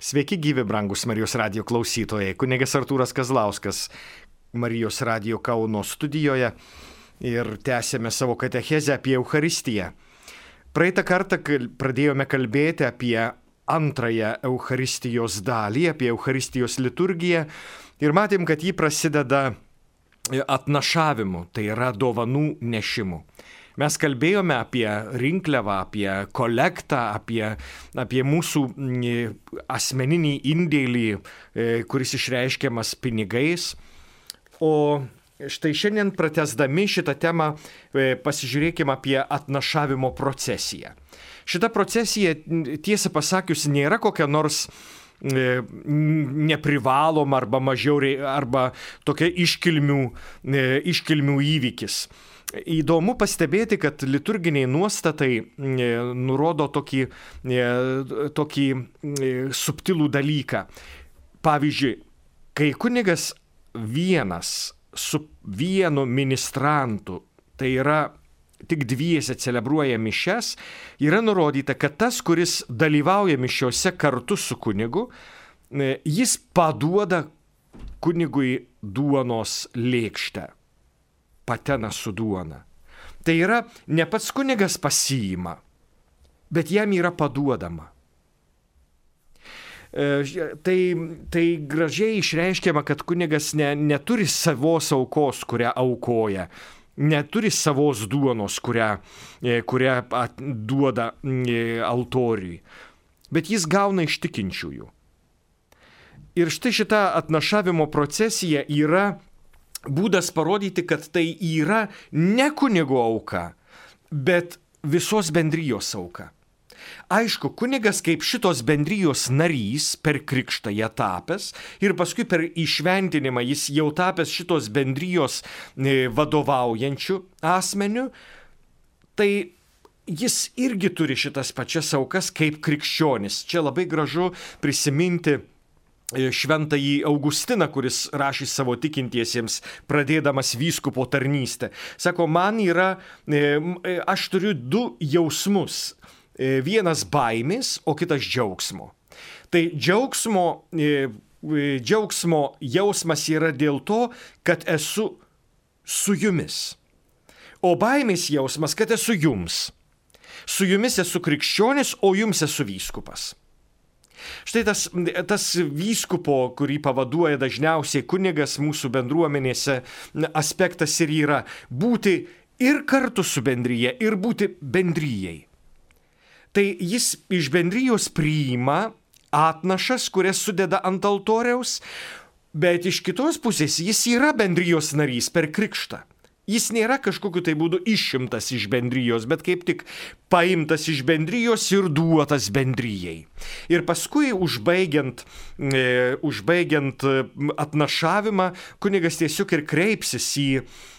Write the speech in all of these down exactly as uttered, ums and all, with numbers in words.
Sveiki gyvi, brangus Marijos radijo klausytojai. Kunigas Artūras Kazlauskas Marijos radijo Kauno studijoje ir tęsėme savo katechezę apie Eucharistiją. Praeitą kartą pradėjome kalbėti apie antrąją Eucharistijos dalį, apie Eucharistijos liturgiją ir matėm, kad ji prasideda atnašavimu, tai yra dovanų nešimu. Mes kalbėjome apie rinkliavą, apie kolektą, apie, apie mūsų asmeninį indėlį, kuris išreiškiamas pinigais. O štai šiandien pratęsdami šitą temą pasižiūrėkime apie atnašavimo procesiją. Šita procesija, tiesą pasakius, nėra kokia nors neprivaloma arba mažiau arba tokia iškilmių, iškilmių įvykis. Įdomu pastebėti, kad liturginiai nuostatai nurodo tokį, tokį subtilų dalyką. Pavyzdžiui, kai kunigas vienas su vienu ministrantu, tai yra tik dviese celebruoja mišias, yra nurodyta, kad tas, kuris dalyvauja mišiose kartu su kunigu, jis paduoda kunigui duonos lėkštę. Patena su duona. Tai yra, ne pats kunigas pasiima, bet jam yra paduodama. Tai, tai gražiai išreiškiama, kad kunigas ne, neturi savos aukos, kurią aukoja, neturi savos duonos, kurią, kurią duoda altoriui, bet jis gauna iš tikinčiųjų. Ir štai šita atnašavimo procesija yra būdas parodyti, kad tai yra ne kunigo auka, bet visos bendrijos auka. Aišku, kunigas kaip šitos bendrijos narys per krikštą ją tapęs ir paskui per įšventinimą jis jau tapęs šitos bendrijos vadovaujančių asmenių, tai jis irgi turi šitas pačias aukas kaip krikščionis. Čia labai gražu prisiminti šventąjį Augustiną, kuris rašė savo tikintiesiems, pradėdamas vyskupo tarnystę. Sako, man yra, aš turiu du jausmus. Vienas baimės, o kitas džiaugsmo. Tai džiaugsmo, džiaugsmo jausmas yra dėl to, kad esu su jumis. O baimės jausmas, kad esu jums. Su jumis esu krikščionis, o jums esu vyskupas. Štai tas, tas vyskupo, kurį pavaduoja dažniausiai kunigas mūsų bendruomenėse, aspektas ir yra būti ir kartu su bendryje, ir būti bendryjei. Tai jis iš bendrijos priima atnašas, kurias sudeda ant altoriaus, bet iš kitos pusės jis yra bendrijos narys per krikštą. Jis nėra kažkokiu tai būdu išimtas iš bendrijos, bet kaip tik paimtas iš bendrijos ir duotas bendrijai. Ir paskui, užbaigiant, e, užbaigiant atnašavimą, kunigas tiesiog ir kreipsis į,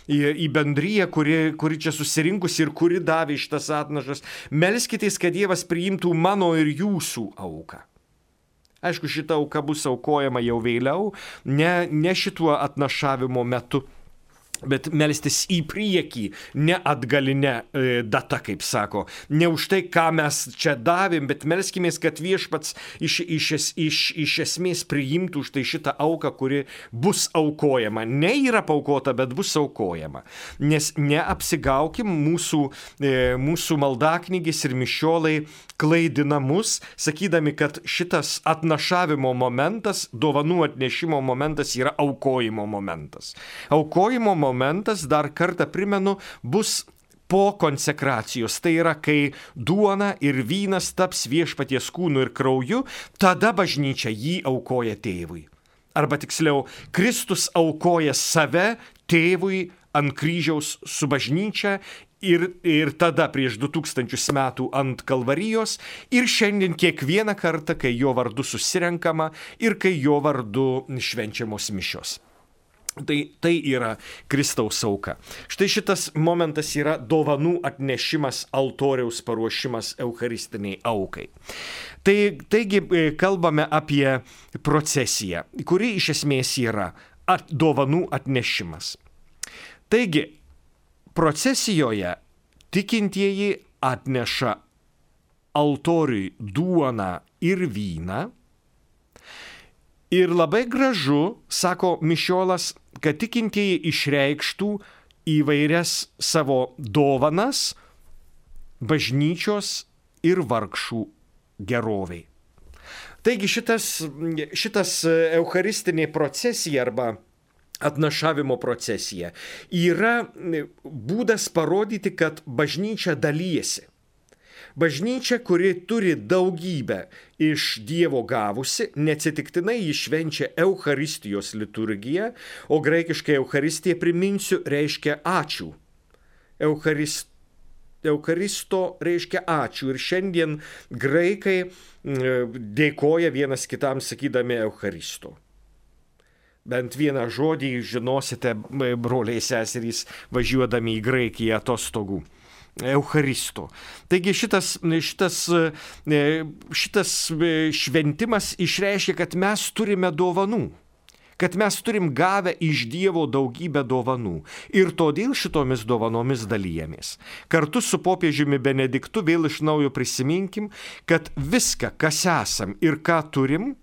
į, į bendriją, kuri, kuri čia susirinkusi ir kuri davė šitas atnašas. Melskitės, kad Dievas priimtų mano ir jūsų auką. Aišku, šita auka bus aukojama jau vėliau, ne, ne šituo atnašavimo metu, bet melstis į priekį, ne atgalinę e, data, kaip sako. Ne už tai, ką mes čia davėm, bet melskimės, kad viešpats iš, iš, iš, iš esmės priimtų už tai šitą auką, kuri bus aukojama. Ne yra paukota, bet bus aukojama. Nes neapsigaukim, mūsų, e, mūsų maldaknygis ir mišiolai klaidina mus, sakydami, kad šitas atnašavimo momentas, dovanų atnešimo momentas yra aukojimo momentas. Aukojimo momentas momentas, dar kartą primenu, bus po konsekracijos. Tai yra, kai duona ir vynas taps viešpaties kūnu ir krauju, tada bažnyčia jį aukoja tėvui. Arba tiksliau, Kristus aukoja save tėvui ant kryžiaus su bažnyčia ir, ir tada prieš du tūkstančius metų ant Kalvarijos ir šiandien kiekvieną kartą, kai jo vardu susirenkama ir kai jo vardu švenčiamos mišios. Tai, tai yra Kristaus auka. Štai šitas momentas yra dovanų atnešimas, altoriaus paruošimas eucharistiniai aukai. Tai, taigi kalbame apie procesiją, kuri iš esmės yra at, dovanų atnešimas. Taigi, procesijoje tikintieji atneša altoriui duoną ir vyną, Ir labai gražu, sako Mišiolas, kad tikintieji išreikštų įvairias savo dovanas bažnyčios ir vargšų geroviai. Taigi šitas, šitas eucharistinė procesija arba atnašavimo procesija yra būdas parodyti, kad bažnyčia dalyjasi. Bažnyčia, kuri turi daugybę iš Dievo gavusi, neatsitiktinai ji švenčia Eucharistijos liturgiją, o graikiškai Eucharistija, priminsiu, reiškia ačiū. Eucharist, Eucharisto reiškia ačiū. Ir šiandien graikai dėkoja vienas kitam sakydami Eucharisto. Bent vieną žodį žinosite, broliai seserys, važiuodami į Graikiją atostogų. Eucharisto. Taigi šitas, šitas, šitas šventimas išreiškia, kad mes turime dovanų, kad mes turim gavę iš Dievo daugybę dovanų ir todėl šitomis dovanomis dalyjamės. Kartu su popiežiumi Benediktu vėl iš naujo prisiminkim, kad viską, kas esam ir ką turim,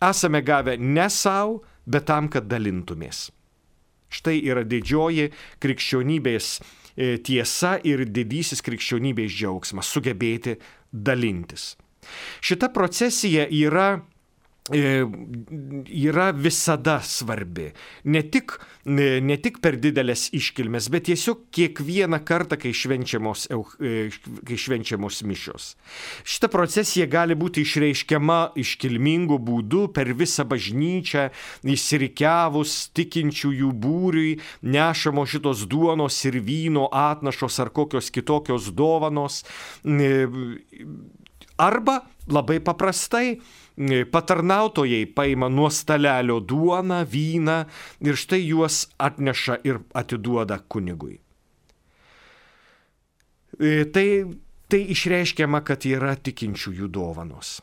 esame gavę ne savo, bet tam, kad dalintumės. Štai yra didžioji krikščionybės tiesa ir didysis krikščionybės džiaugsmas - sugebėti dalintis. Šita procesija yra, yra visada svarbi. Ne tik, ne tik per didelės iškilmes, bet tiesiog kiekvieną kartą, kai švenčiamos, kai švenčiamos mišios. Šita procesija gali būti išreiškiama iškilmingu būdu per visą bažnyčią, išsirikiavus tikinčiųjų būriui, nešamo šitos duonos ir vyno atnašos ar kokios kitokios dovanos. Arba labai paprastai patarnautojai paima nuo stalelio duoną, vyną ir štai juos atneša ir atiduoda kunigui. Tai, tai išreiškiama, kad yra tikinčiųjų dovanos.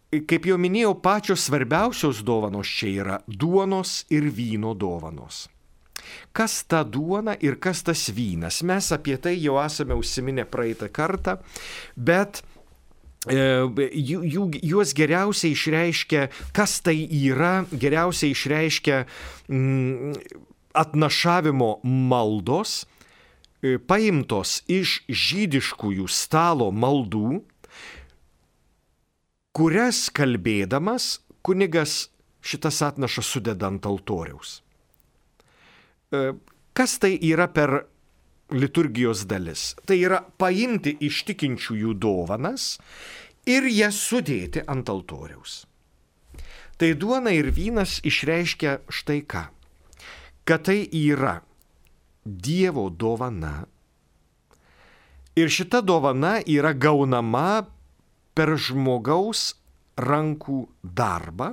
Kaip jau minėjau, pačios svarbiausios dovanos čia yra duonos ir vyno dovanos. Kas ta duona ir kas tas vynas? Mes apie tai jau esame užsiminę praeitą kartą, bet Jų, jų, juos geriausiai išreiškia, kas tai yra, geriausiai išreiškia mm, atnašavimo maldos, paimtos iš žydiškųjų stalo maldų, kurias kalbėdamas kunigas šitas atnašas sudeda ant altoriaus. Kas tai yra per liturgijos dalis? Tai yra paimti iš tikinčiųjų dovanas ir jas sudėti ant altoriaus. Tai duona ir vynas išreiškia štai ką. Kad tai yra Dievo dovana ir šita dovana yra gaunama per žmogaus rankų darbą.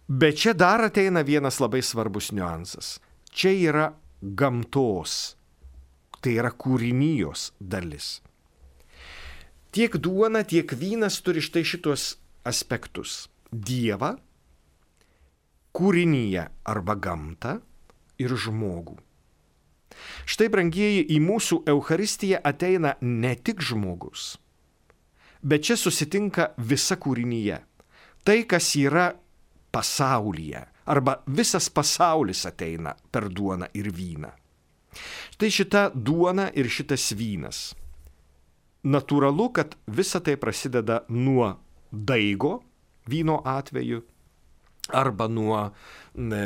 Bet čia dar ateina vienas labai svarbus niuansas. Čia yra gamtos, tai yra kūrinijos dalis. Tiek duona, tiek vynas turi štai šitos aspektus. Dievą, kūrinyje arba gamtą ir žmogų. Štai, brangieji, į mūsų Eucharistiją ateina ne tik žmogus, bet čia susitinka visa kūrinyje. Tai, kas yra pasaulyje. Arba visas pasaulis ateina per duoną ir vyną. Štai šita duona ir šitas vynas. Natūralu, kad visa tai prasideda nuo daigo, vyno atveju, arba nuo, ne,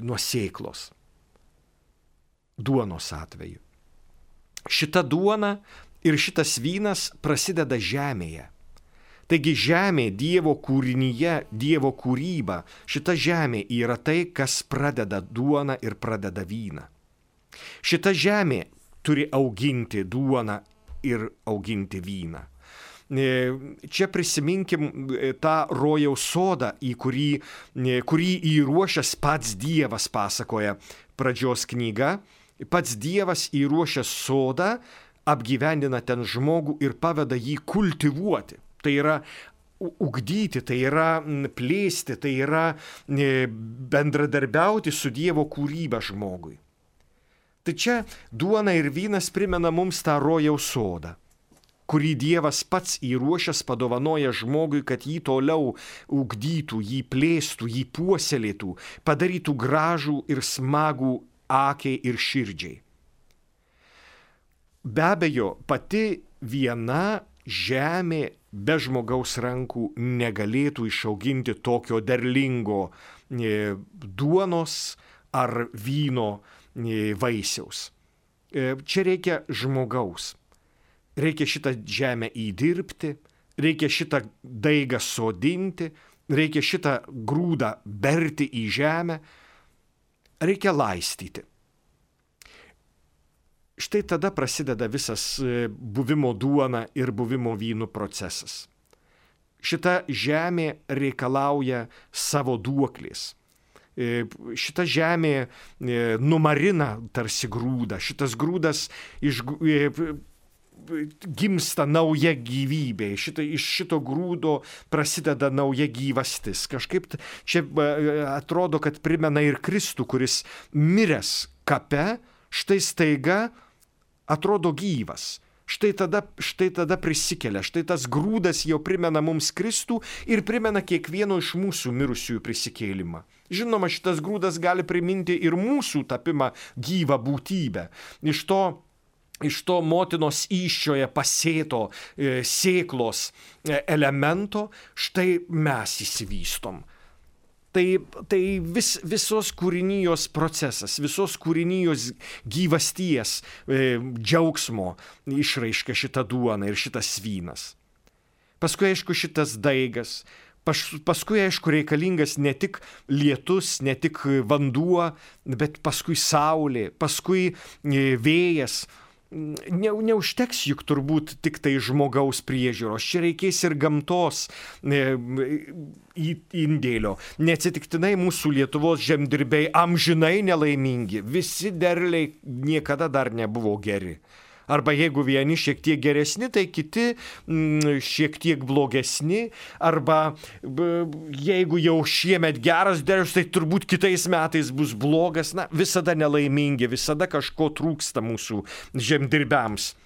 nuo sėklos, duonos atveju. Šita duona ir šitas vynas prasideda žemėje. Taigi žemė, Dievo kūrinyje, Dievo kūryba, šita žemė yra tai, kas pradeda duoną ir pradeda vyną. Šita žemė turi auginti duoną ir auginti vyną. Čia prisiminkim tą rojaus sodą, į kurį, kurį įruošęs pats Dievas, pasakoja pradžios knyga. Pats Dievas įruošęs sodą, apgyvendina ten žmogų ir paveda jį kultivuoti. Tai yra ugdyti, tai yra plėsti, tai yra bendradarbiauti su Dievo kūryba žmogui. Tai čia duona ir vynas primena mums tą rojaus sodą. kurį Dievas pats įruošęs padovanoja žmogui, kad jį toliau ugdytų, jį plėstų, jį puoselėtų, padarytų gražų ir smagų akiai ir širdžiai. Be abejo, pati viena žemė be žmogaus rankų negalėtų išauginti tokio derlingo duonos ar vyno vaisiaus. Čia reikia žmogaus. Reikia šitą žemę įdirbti, reikia šitą daigą sodinti, reikia šitą grūdą berti į žemę, reikia laistyti. Štai tada prasideda visas buvimo duona ir buvimo vynu procesas. Šita žemė reikalauja savo duoklės. Šita žemė numarina tarsi grūdą. Šitas grūdas iš, gimsta nauja gyvybė. Šita, iš šito grūdo prasideda nauja gyvastis. Kažkaip čia atrodo, kad primena ir Kristų, kuris miręs kape, štai staiga atrodo gyvas. Štai tada, štai tada prisikelia. Štai tas grūdas jau primena mums Kristų ir primena kiekvieno iš mūsų mirusiųjų prisikėlimą. Žinoma, šitas grūdas gali priminti ir mūsų tapimą gyvą būtybę. Iš to, iš to motinos įsčioje pasėto e, sėklos e, elemento štai mes įsivystom. Tai, tai vis, visos kūrinijos procesas, visos kūrinijos gyvasties, e, džiaugsmo išraiška šita duona ir šitas vynas. Paskui, aišku, šitas daigas, pas, paskui, aišku, reikalingas ne tik lietus, ne tik vanduo, bet paskui saulė, paskui e, vėjas. Ne, neužteks juk turbūt tik tai žmogaus priežiūros, čia reikės ir gamtos e, indėlio. Neatsitiktinai mūsų Lietuvos žemdirbiai amžinai nelaimingi, visi derliai niekada dar nebuvo geri. Arba jeigu vieni šiek tiek geresni, tai kiti m, šiek tiek blogesni. Arba b, jeigu jau šiemet geras derlius, tai turbūt kitais metais bus blogas. Na, visada nelaimingi, visada kažko trūksta mūsų žemdirbiams.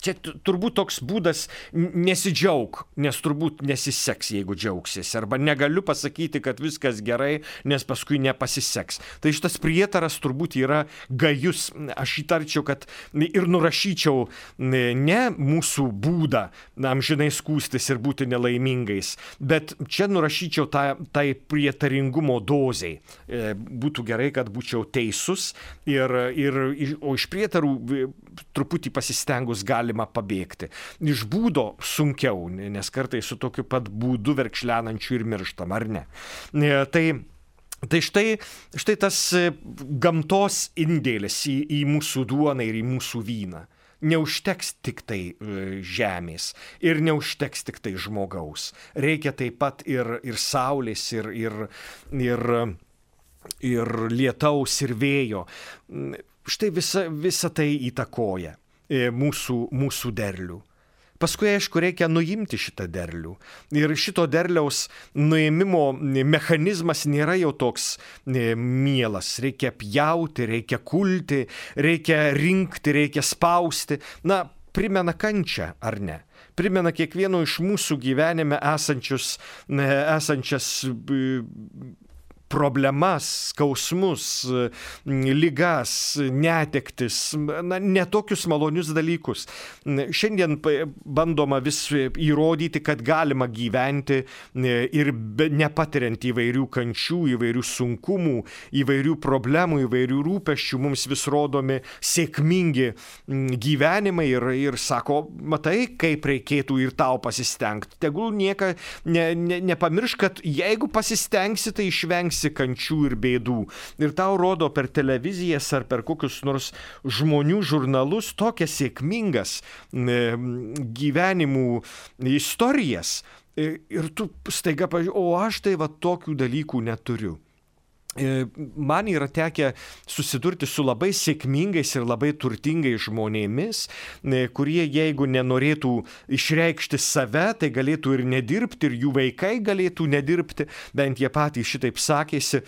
Čia turbūt toks būdas nesidžiaug, nes turbūt nesiseks, jeigu džiaugsies. Arba negaliu pasakyti, kad viskas gerai, nes paskui nepasiseks. Tai šitas prietaras turbūt yra gajus. Aš įtarčiau, kad ir nurašyčiau ne mūsų būdą amžinai skųstis ir būti nelaimingais, bet čia nurašyčiau tą, tai prietaringumo dozei. Būtų gerai, kad būčiau teisus, ir, ir, o iš prietarų truputį pasistengus galima pabėgti. Iš būdo sunkiau, nes kartais su tokiu pat būdu verkšlenančiu ir mirštam, ar ne? Tai, tai štai, štai tas gamtos indėlis į, į mūsų duoną ir į mūsų vyną. Neužteks tik tai žemės ir neužteks tik tai žmogaus. Reikia taip pat ir, ir saulės, ir, ir, ir, ir lietaus, ir vėjo. Štai visa, visa tai įtakoja mūsų, mūsų derlių. Paskui, aišku, reikia nuimti šitą derlių. Ir šito derliaus nuėmimo mechanizmas nėra jau toks mielas. Reikia pjauti, reikia kulti, reikia rinkti, reikia spausti. Na, primena kančią, ar ne? Primena kiekvieno iš mūsų gyvenime esančius, esančias problemas, skausmus, ligas, netektis, na, netokius malonius dalykus. Šiandien bandoma vis įrodyti, kad galima gyventi ir nepatiriant įvairių kančių, įvairių sunkumų, įvairių problemų, įvairių rūpesčių. Mums vis rodomi sėkmingi gyvenimai ir, ir sako, matai, kaip reikėtų ir tau pasistengti. Tegul nieka ne, ne, nepamiršk, kad jeigu pasistengsi, tai išvengsi kančių ir bėdų. Ir tau rodo per televizijas ar per kokius nors žmonių žurnalus tokias sėkmingas gyvenimų istorijas. Ir tu staiga pažiūrėjai, o aš tai va tokių dalykų neturiu. Man yra tekę susidurti su labai sėkmingais ir labai turtingais žmonėmis, kurie jeigu nenorėtų išreikšti save, tai galėtų ir nedirbti, ir jų vaikai galėtų nedirbti, bent jie patys šitaip sakėsi,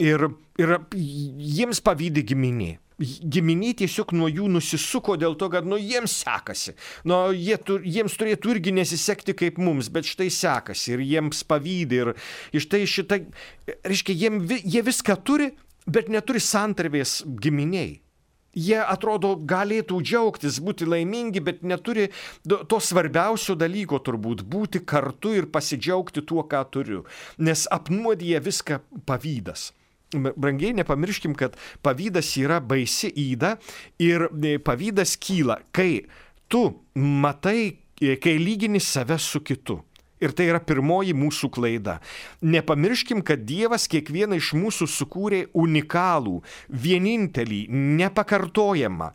ir, ir jiems pavydi giminė. Giminiai tiesiog nuo jų nusisuko dėl to, kad nu, jiems sekasi. Nu, jie, jiems turėtų irgi nesisekti kaip mums, bet štai sekasi ir jiems pavydi. Ir, ir štai šitą, reiškia, jiem, jie viską turi, bet neturi santarvės giminiai. Jie atrodo galėtų džiaugtis, būti laimingi, bet neturi to svarbiausio dalyko turbūt – būti kartu ir pasidžiaugti tuo, ką turiu. Nes apnuodija viską pavydas. Brangiai, nepamirškim, kad pavydas yra baisi yda ir pavydas kyla, kai tu matai, kai lygini save su kitu. Ir tai yra pirmoji mūsų klaida. Nepamirškim, kad Dievas kiekvieną iš mūsų sukūrė unikalų, vienintelį, nepakartojamą.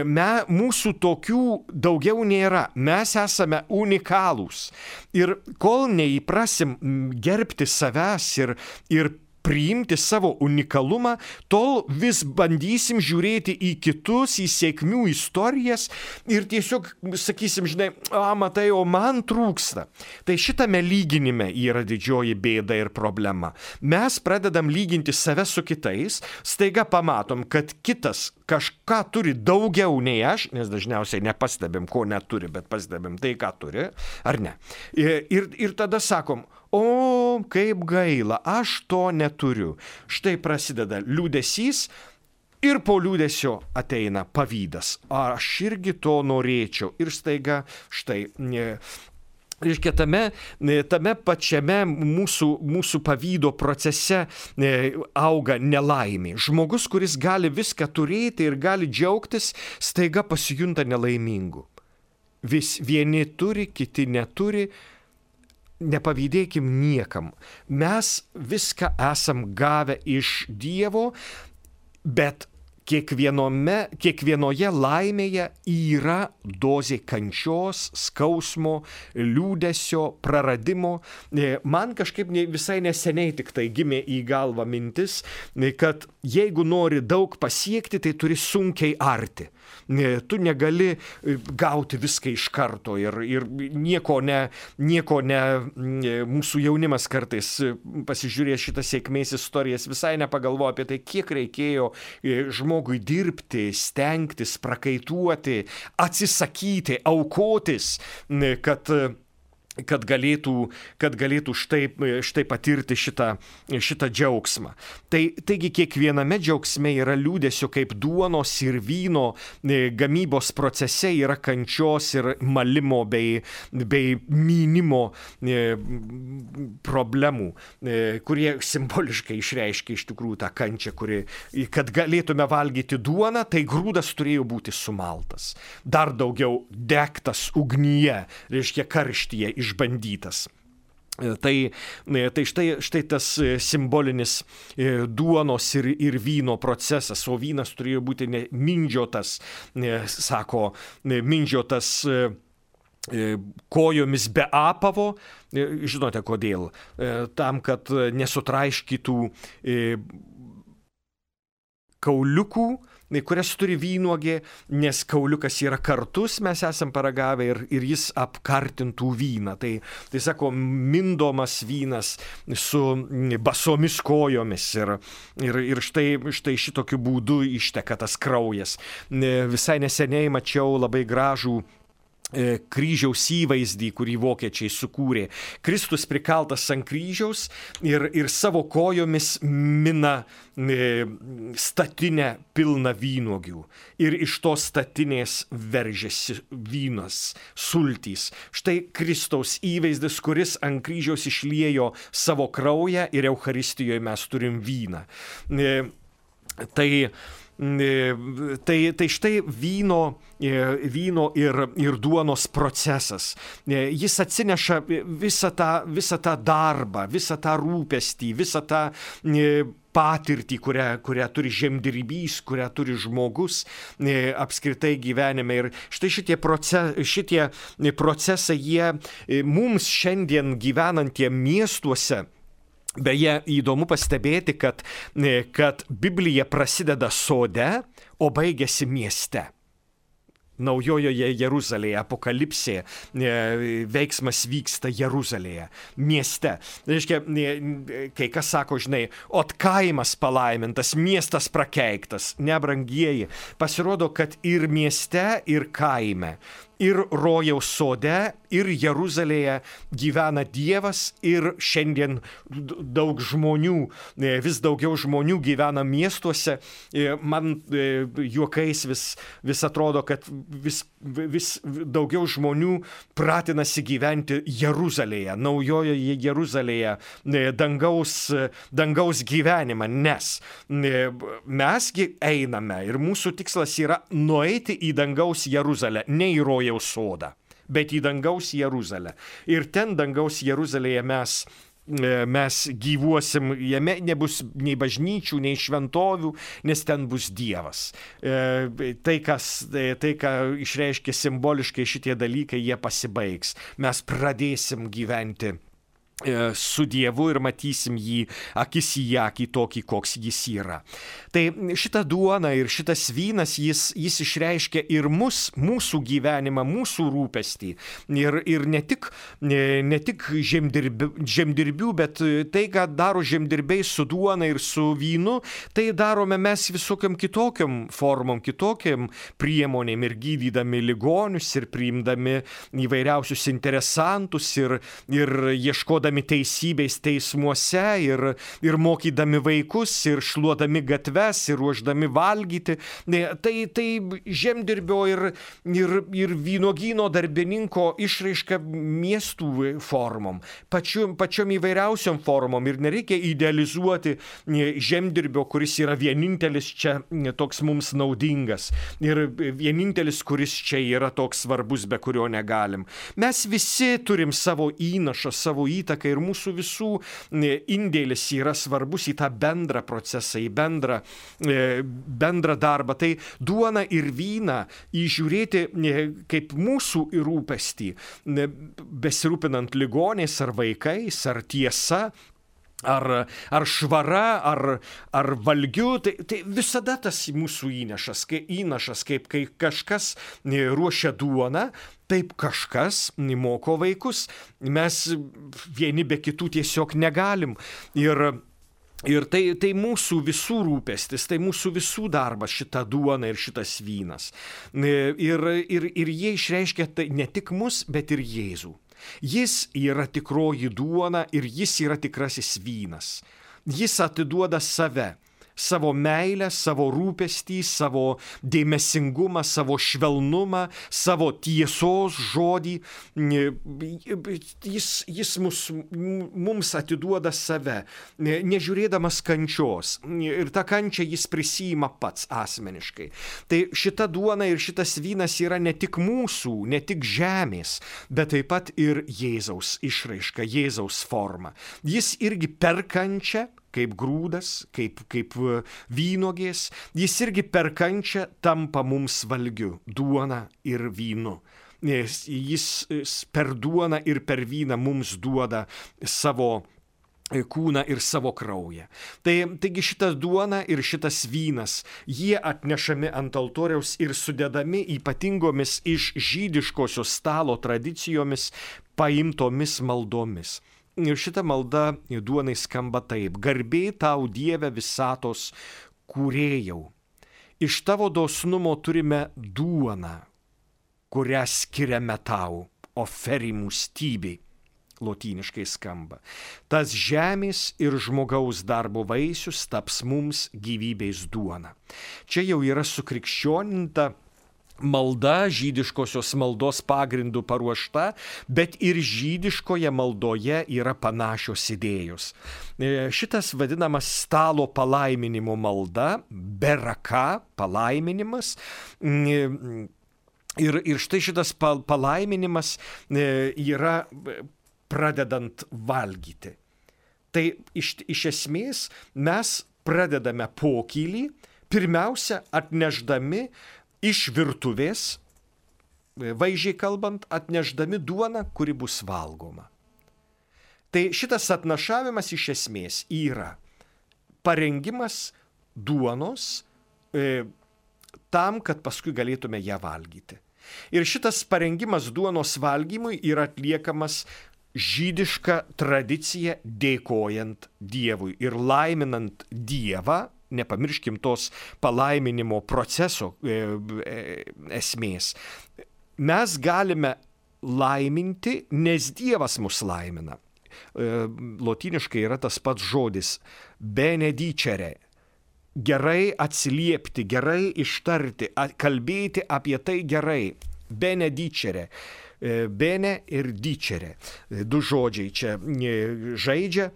Me, mūsų tokių daugiau nėra. Mes esame unikalūs. Ir kol neįprasim gerbti savęs ir, ir priimti savo unikalumą, tol vis bandysim žiūrėti į kitus, į sėkmių istorijas ir tiesiog sakysim, žinai, a, matai, o man trūksta. Tai šitame lyginime yra didžioji bėda ir problema. Mes pradedam lyginti save su kitais, staiga pamatom, kad kitas kažką turi daugiau nei aš, nes dažniausiai nepastebim, ko neturi, bet pastebim tai, ką turi, ar ne. Ir, ir tada sakom, o, kaip gaila, aš to neturiu. Štai prasideda liūdesys ir po liūdesio ateina pavydas. Aš irgi to norėčiau. Ir staiga, štai, reiškia, tame, tame pačiame mūsų, mūsų pavydo procese auga nelaimė. Žmogus, kuris gali viską turėti ir gali džiaugtis, staiga pasijunta nelaimingu. Vis vieni turi, kiti neturi. Nepavydėkim niekam. Mes viską esam gavę iš Dievo, bet kiekvienome, kiekvienoje laimėje yra dozė kančios, skausmo, liūdesio, praradimo. Man kažkaip visai neseniai tik tai gimė į galvą mintis, kad jeigu nori daug pasiekti, tai turi sunkiai arti. Tu negali gauti viską iš karto ir, ir nieko ne, nieko ne, mūsų jaunimas kartais pasižiūrės šitas sėkmės istorijas, visai nepagalvoja apie tai, kiek reikėjo žmogui dirbti, stengtis, prakaituoti, atsisakyti, aukotis, kad kad galėtų, kad galėtų štai, štai patirti šitą, šitą džiaugsmą. Tai, taigi kiekviename džiaugsme yra liūdesio, kaip duonos ir vyno gamybos procese yra kančios ir malimo bei, bei mynimo problemų, kurie simboliškai išreiškia iš tikrųjų tą kančią, kuri, kad galėtume valgyti duoną, tai grūdas turėjo būti sumaltas. Dar daugiau degtas ugnyje, reiškia karštyje, išbandytas. Tai, tai štai, štai tas simbolinis duonos ir, ir vyno procesas, o vynas turėjo būti mindžiotas, sako, mindžiotas kojomis be apavo. Žinote kodėl? Tam, kad nesutraiškytų kauliukų, kurias turi vynuogė, nes kauliukas yra kartus, mes esam paragavę ir, ir jis apkartintų vyną. Tai, tai sako, mindomas vynas su basomis kojomis ir, ir, ir štai, štai šitokiu būdu išteka tas kraujas. Visai neseniai mačiau labai gražų kryžiaus įvaizdį, kurį vokiečiai sukūrė. Kristus prikaltas ant kryžiaus ir, ir savo kojomis mina statinę pilną vynuogių. Ir iš tos statinės veržiasi vynas, sultys. Štai Kristaus įvaizdis, kuris ant kryžiaus išliejo savo kraują ir Eucharistijoje mes turim vyną. Tai Tai, tai štai vyno, vyno ir, ir duonos procesas. Jis atsineša visą tą, visą tą darbą, visą tą rūpestį, visą tą patirtį, kurią, kurią turi žemdirbys, kurią turi žmogus apskritai gyvenime. Ir štai šitie, proces, šitie procesai, jie mums šiandien gyvenantiem miestuose. Beje, įdomu pastebėti, kad, kad Biblija prasideda sode, o baigėsi mieste. Naujojoje Jeruzalėje, apokalipsė, veiksmas vyksta Jeruzalėje, mieste. Reiškia, kai kas sako, žinai, ot kaimas palaimintas, miestas prakeiktas, nebrangieji. Pasirodo, kad ir mieste, ir kaime, ir rojaus sode, ir Jeruzalėje gyvena Dievas, ir šiandien daug žmonių, vis daugiau žmonių gyvena miestuose. Man juokais vis, vis atrodo, kad vis, vis daugiau žmonių pratinasi gyventi Jeruzalėje, naujojoje Jeruzalėje, dangaus, dangaus gyvenimą, nes mesgi einame ir mūsų tikslas yra nueiti į dangaus Jeruzalę, ne į rojaus sodą, bet į dangaus Jeruzalę. Ir ten dangaus Jeruzalėje mes mes gyvuosim, jame nebus nei bažnyčių, nei šventovių, nes ten bus Dievas. Tai, kas, tai ką išreiškia simboliškai šitie dalykai, jie pasibaigs. Mes pradėsim gyventi su Dievu ir matysim jį akis į akį tokį, koks jis yra. Tai šita duona ir šitas vynas, jis, jis išreiškia ir mus, mūsų gyvenimą, mūsų rūpestį. Ir, ir ne tik, ne tik žemdirbių, žemdirbių, bet tai, ką daro žemdirbiai su duona ir su vynu, tai darome mes visokiam kitokiam formom, kitokiam priemonėm ir gydydami ligonius ir priimdami įvairiausius interesantus ir, ir ieškodami teisybės teismuose ir, ir mokydami vaikus ir šluodami gatves ir ruošdami valgyti. Tai, tai žemdirbio ir, ir, ir vynuogyno darbininko išraiška miestų formom, pačiu, pačiom įvairiausiom formom ir nereikia idealizuoti žemdirbio, kuris yra vienintelis čia toks mums naudingas ir vienintelis, kuris čia yra toks svarbus, be kurio negalim. Mes visi turim savo įnašą, savo įtaką ir mūsų visų indėlis yra svarbus į tą bendrą procesą, į bendrą, bendrą darbą. Tai duona ir vyną įžiūrėti kaip mūsų rūpestį, besirūpinant ligoniais ar vaikais, ar tiesa, ar, ar švara, ar, ar valgiu, tai, tai visada tas mūsų įnašas, kai, įnašas, kaip kai kažkas ruošia duoną, taip kažkas moko vaikus. Mes vieni be kitų tiesiog negalim. Ir, ir tai, tai mūsų visų rūpestis, tai mūsų visų darbas, šita duona ir šitas vynas. Ir, ir, ir jie išreiškia tai ne tik mus, bet ir Jėzų. Jis yra tikroji duona ir jis yra tikrasis vynas. Jis atiduoda save. Savo meilę, savo rūpestį, savo dėmesingumą, savo švelnumą, savo tiesos žodį. Jis, jis mus, mums atiduoda save, nežiūrėdamas kančios. Ir tą kančią jis prisiima pats asmeniškai. Tai šita duona ir šitas vynas yra ne tik mūsų, ne tik žemės, bet taip pat ir Jėzaus išraiška, Jėzaus forma. Jis irgi per kančią, kaip grūdas, kaip, kaip vynogės, jis irgi per kančią tampa mums valgiu, duona ir vynu. Jis per duoną ir per vyną mums duoda savo kūną ir savo kraują. Tai, taigi šita duona ir šitas vynas, jie atnešami ant altoriaus ir sudedami ypatingomis iš žydiškosios stalo tradicijomis paimtomis maldomis. Ir šita malda duonai skamba taip: garbė tau, Dieve visatos kūrėjau. Iš tavo dosnumo turime duoną, kurią skiriame tau, oferimų stybei. Lotyniškai skamba. Tas žemės ir žmogaus darbo vaisius taps mums gyvybės duona. Čia jau yra sukrikščioninta malda, žydiškosios maldos pagrindų paruošta, bet ir žydiškoje maldoje yra panašios idėjos. Šitas vadinamas stalo palaiminimo malda, beraka, palaiminimas. Ir, ir štai šitas palaiminimas yra pradedant valgyti. Tai iš, iš esmės mes pradedame pokylį, pirmiausia atnešdami iš virtuvės, vaizdžiai kalbant, atnešdami duoną, kuri bus valgoma. Tai šitas atnašavimas iš esmės yra parengimas duonos e, tam, kad paskui galėtume ją valgyti. Ir šitas parengimas duonos valgymui yra atliekamas žydiška tradicija dėkojant Dievui ir laiminant Dievą. Nepamirškim tos palaiminimo proceso e, e, esmės. Mes galime laiminti, nes Dievas mus laimina. E, lotyniškai yra tas pats žodis benedicere. Gerai atsiliepti, gerai ištarti, kalbėti apie tai gerai. Benedicere. E, bene ir dicere. Du žodžiai čia žaidžia.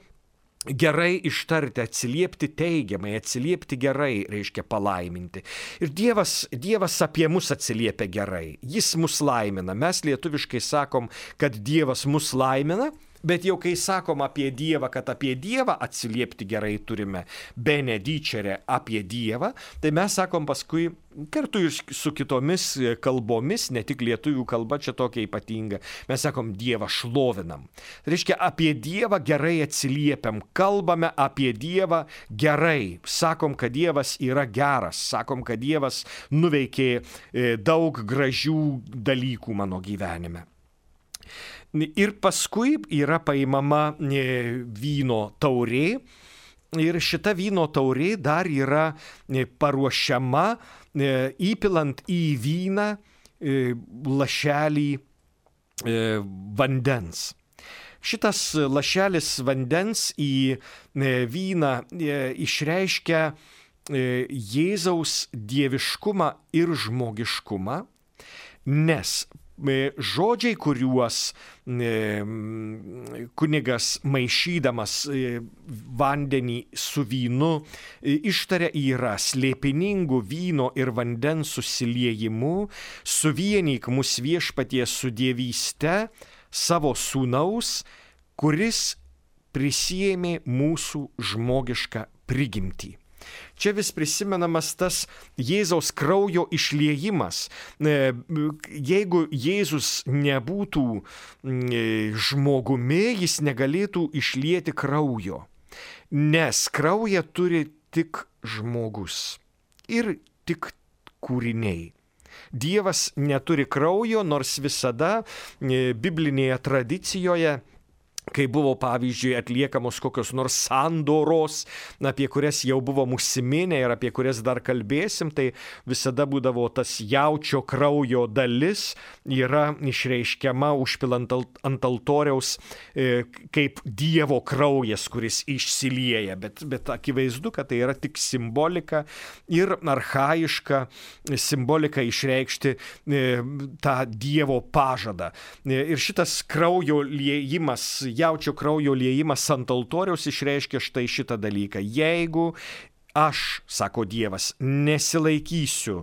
Gerai ištarti, atsiliepti teigiamai, atsiliepti gerai, reiškia palaiminti. Ir Dievas, Dievas apie mus atsiliepia gerai, Jis mus laimina. Mes lietuviškai sakom, kad Dievas mus laimina, bet jau kai sakom apie Dievą, kad apie Dievą atsiliepti gerai turime, benedicere apie Dievą, tai mes sakom paskui kartu ir su kitomis kalbomis, ne tik lietuvių kalba čia tokia ypatinga, mes sakom Dievą šlovinam. Tai reiškia, apie Dievą gerai atsiliepiam, kalbame apie Dievą gerai, sakom, kad Dievas yra geras, sakom, kad Dievas nuveikė daug gražių dalykų mano gyvenime. Ir paskui yra paimama vyno taurė ir šita vyno taurė dar yra paruošiama įpilant į vyną lašelį vandens. Šitas lašelis vandens į vyną išreiškia Jėzaus dieviškumą ir žmogiškumą, nes žodžiai, kuriuos kunigas maišydamas vandenį su vynu ištaria, yra slėpiningų vyno ir vandens susiliejimu, suvienyk mus Viešpaties su dievyste savo sūnaus, kuris prisiėmė mūsų žmogišką prigimtį. Čia vis prisimenamas tas Jėzaus kraujo išliejimas. Jeigu Jėzus nebūtų žmogumi, jis negalėtų išlieti kraujo, nes kraują turi tik žmogus ir tik kūriniai. Dievas neturi kraujo, nors visada biblinėje tradicijoje, kai buvo, pavyzdžiui, atliekamos kokios nors sandoros, apie kurias jau buvom užsiminę ir apie kurias dar kalbėsim, tai visada būdavo tas jaučio kraujo dalis yra išreiškiama užpilant ant altoriaus e, kaip Dievo kraujas, kuris išsilieja, bet, bet akivaizdu, kad tai yra tik simbolika ir archaiška simbolika išreikšti e, tą Dievo pažadą. E, ir šitas kraujo liejimas, jaučio kraujo liejimas ant altoriaus išreiškia štai šitą dalyką. Jeigu aš, sako Dievas, nesilaikysiu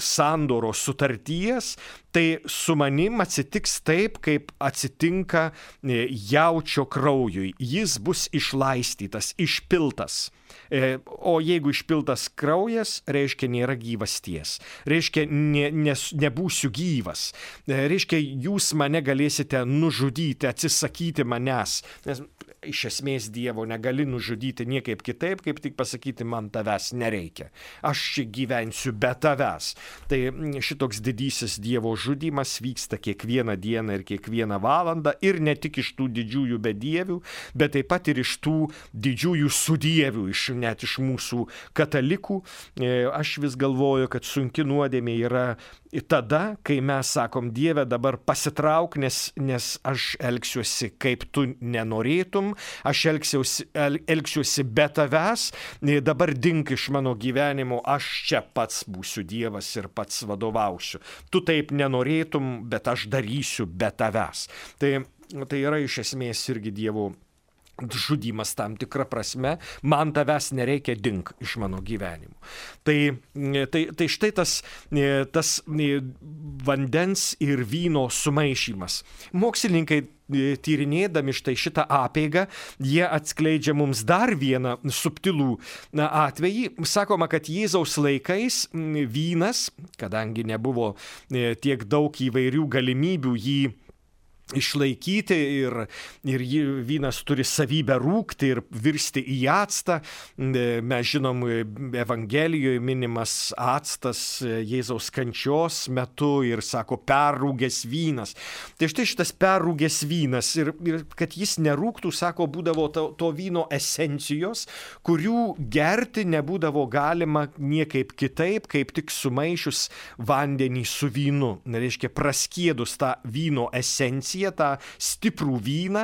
sandoros sutarties, tai su manim atsitiks taip, kaip atsitinka jaučio kraujui. Jis bus išlaistytas, išpiltas. O jeigu išpiltas kraujas, reiškia nėra gyvasties. Reiškia ne, nes, nebūsiu gyvas. Reiškia jūs mane galėsite nužudyti, atsisakyti manęs. Nes iš esmės Dievo negali nužudyti niekaip kitaip, kaip tik pasakyti, man tavęs nereikia. Aš čia gyvensiu be tavęs. Tai šitoks didysis Dievo žudymas vyksta kiekvieną dieną ir kiekvieną valandą ir ne tik iš tų didžiųjų bedievių, bet taip pat ir iš tų didžiųjų sudievių, iš, net iš mūsų katalikų. Aš vis galvoju, kad sunki nuodėmė yra tada, kai mes sakom, Dieve, dabar pasitrauk, nes, nes aš elgsiuosi kaip tu nenorėtum, aš elgsiuosi, el, elgsiuosi be tavęs, dabar dink iš mano gyvenimo, aš čia pats būsiu Dievas ir pats vadovausiu. Tu taip nenorėtum, bet aš darysiu be tavęs. Tai, tai yra iš esmės irgi Dievo žudymas tam tikrą prasme, man tavęs nereikia, dink iš mano gyvenimo. Tai, tai, tai štai tas, tas vandens ir vyno sumaišymas. Mokslininkai tyrinėdami štai šitą apeigą, jie atskleidžia mums dar vieną subtilų atvejį. Sakoma, kad Jėzaus laikais vynas, kadangi nebuvo tiek daug įvairių galimybių jį išlaikyti ir, ir vynas turi savybę rūgti ir virsti į actą. Mes žinom, Evangelijoje minimas actas Jėzaus kančios metu ir sako perrūgęs vynas. Tai štai šitas perrūgęs vynas ir, ir kad jis nerūgtų, sako, būdavo to, to vyno esencijos, kurių gerti nebūdavo galima niekaip kitaip, kaip tik sumaišius vandenį su vynu. Reiškia, praskiedus tą vyno esenciją, tą stiprų vyną,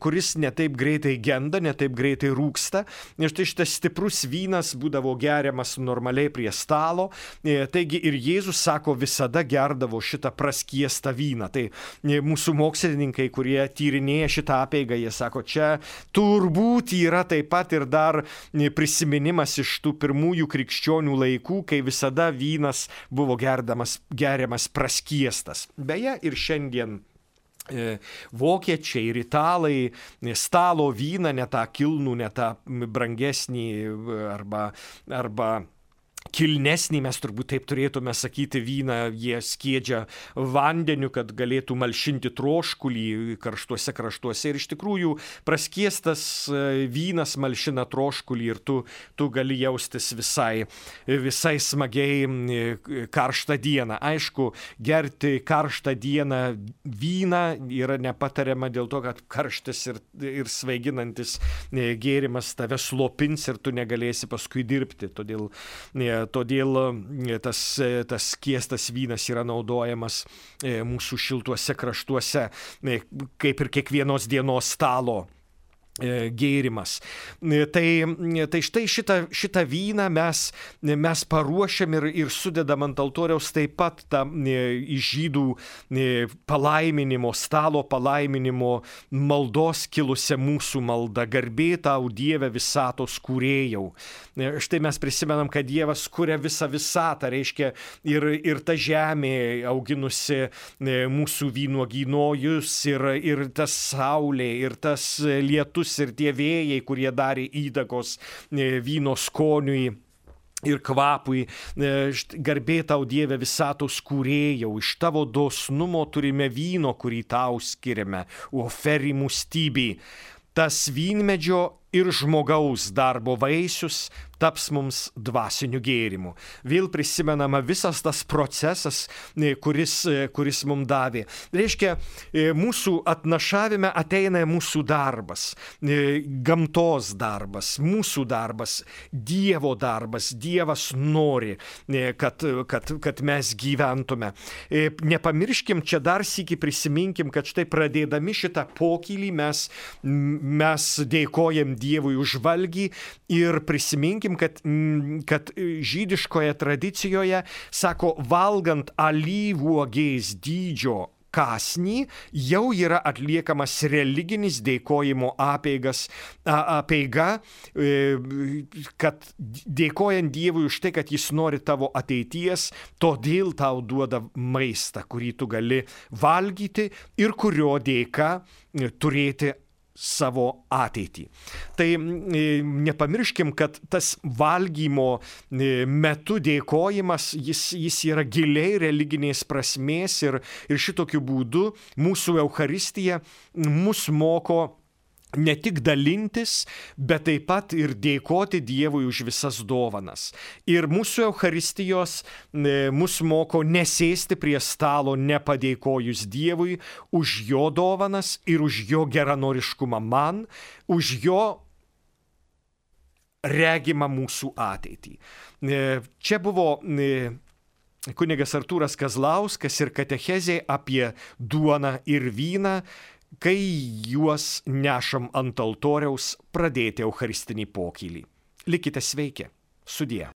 kuris netaip greitai genda, netaip greitai rūksta. Ir štai šitas stiprus vynas būdavo geriamas normaliai prie stalo. Taigi ir Jėzus, sako, visada gerdavo šitą praskiestą vyną. Tai mūsų mokslininkai, kurie tyrinėja šitą apeigą, jie sako, čia turbūt yra taip pat ir dar prisiminimas iš tų pirmųjų krikščionių laikų, kai visada vynas buvo gerdamas, geriamas praskiestas. Beje, ir šiandien vokiečiai ir italai stalo vyną, ne tą kilnų, ne tą brangesnį arba, arba kilnesnį, mes turbūt taip turėtume sakyti, vyną jie skiedžia vandeniu, kad galėtų malšinti troškulį karštuose kraštuose. Ir iš tikrųjų praskiestas vynas malšina troškulį ir tu, tu gali jaustis visai, visai smagiai karštą dieną. Aišku, gerti karštą dieną vyną yra nepatariama dėl to, kad karštas ir, ir svaiginantis gėrimas tave slopins ir tu negalėsi paskui dirbti. Todėl Todėl tas, tas skiestas vynas yra naudojamas mūsų šiltuose kraštuose, kaip ir kiekvienos dienos stalo gėrimas. Tai, tai štai šitą, šitą vyną mes, mes paruošiam ir, ir sudedam ant altoriaus taip pat tą iš žydų palaiminimo, stalo palaiminimo maldos kilusią mūsų maldą. Garbė tau, Dieve visatos kūrėjau. Štai mes prisimenam, kad Dievas kuria visą visatą, reiškia ir, ir ta žemė auginusi mūsų vynuogynojus, ir, ir tas saulė, ir tas lietus, ir tie vėjai, kurie darė įtakos vyno skoniui ir kvapui. Garbė tau, Dieve visatos kūrėjau, iš tavo dosnumo turime vyno, kurį tau skiriame, oferimų stybį. Tas vynmedžio ir žmogaus darbo vaisius taps mums dvasiniu gėrimu. Vėl prisimenama visas tas procesas, kuris, kuris mums davė. Reiškia, mūsų atnašavime ateina mūsų darbas, gamtos darbas, mūsų darbas, Dievo darbas. Dievas nori, kad, kad, kad mes gyventume. Nepamirškim, čia dar sykį prisiminkim, kad štai pradėdami šitą pokylį mes, mes dėkojam Dievui už valgį ir prisiminkim, kad, kad žydiškoje tradicijoje, sako, valgant alyvuogės dydžio kąsnį, jau yra atliekamas religinis dėkojimo apeigas, apeiga, kad dėkojant Dievui už tai, kad jis nori tavo ateities, todėl tau duoda maistą, kurį tu gali valgyti ir kurio dėka turėti savo ateitį. Tai nepamirškim, kad tas valgymo metu dėkojimas, jis, jis yra giliai religinės prasmės ir, ir šitokiu būdu mūsų Eucharistija mus moko ne tik dalintis, bet taip pat ir dėkoti Dievui už visas dovanas. Ir mūsų Eucharistijos mus moko nesėsti prie stalo nepadėkojus Dievui už jo dovanas ir už jo geranoriškumą man, už jo regimą mūsų ateitį. Čia buvo kunigas Artūras Kazlauskas ir katechezė apie duoną ir vyną, kai juos nešam ant altoriaus pradėti eucharistinį pokylį. Likite sveiki. Sudie.